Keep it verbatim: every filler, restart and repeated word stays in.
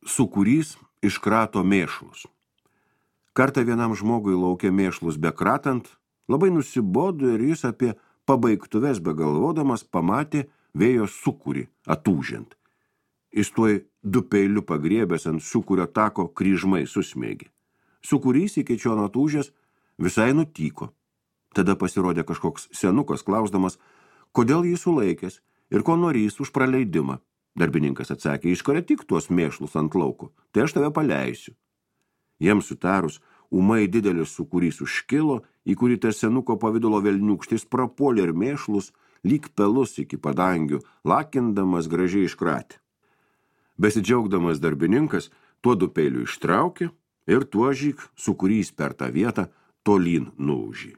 Sūkurys iškrato mėšlus. Kartą vienam žmogui lauke mėšlus bekratant, labai nusibodo ir jis apie pabaigtuves begalvodamas pamatė vėjo sūkurį atūžiant. Jis tuoj du peiliu pagriebęs ant sūkurio tako kryžmai susmėgė. Sūkurys iki čion atūžęs visai nutyko. Tada pasirodė kažkoks senukas klausdamas, kodėl jį sulaikęs ir ko norys už praleidimą. Darbininkas atsakė, iškarė tik tuos mėšlus ant lauko, tai aš tave paleisiu. Jiems sutarus, ūmai didelis sūkurys užkilo, į kurį tas senuko pavidalo velniūkštis prapuolė ir mėšlus, lyg pelus iki padangių, lakindamas gražiai iškratė. Besidžiaugdamas darbininkas, tuo du peiliu ištraukė ir tuo žyk sūkurys per tą vietą tolyn nuūžė.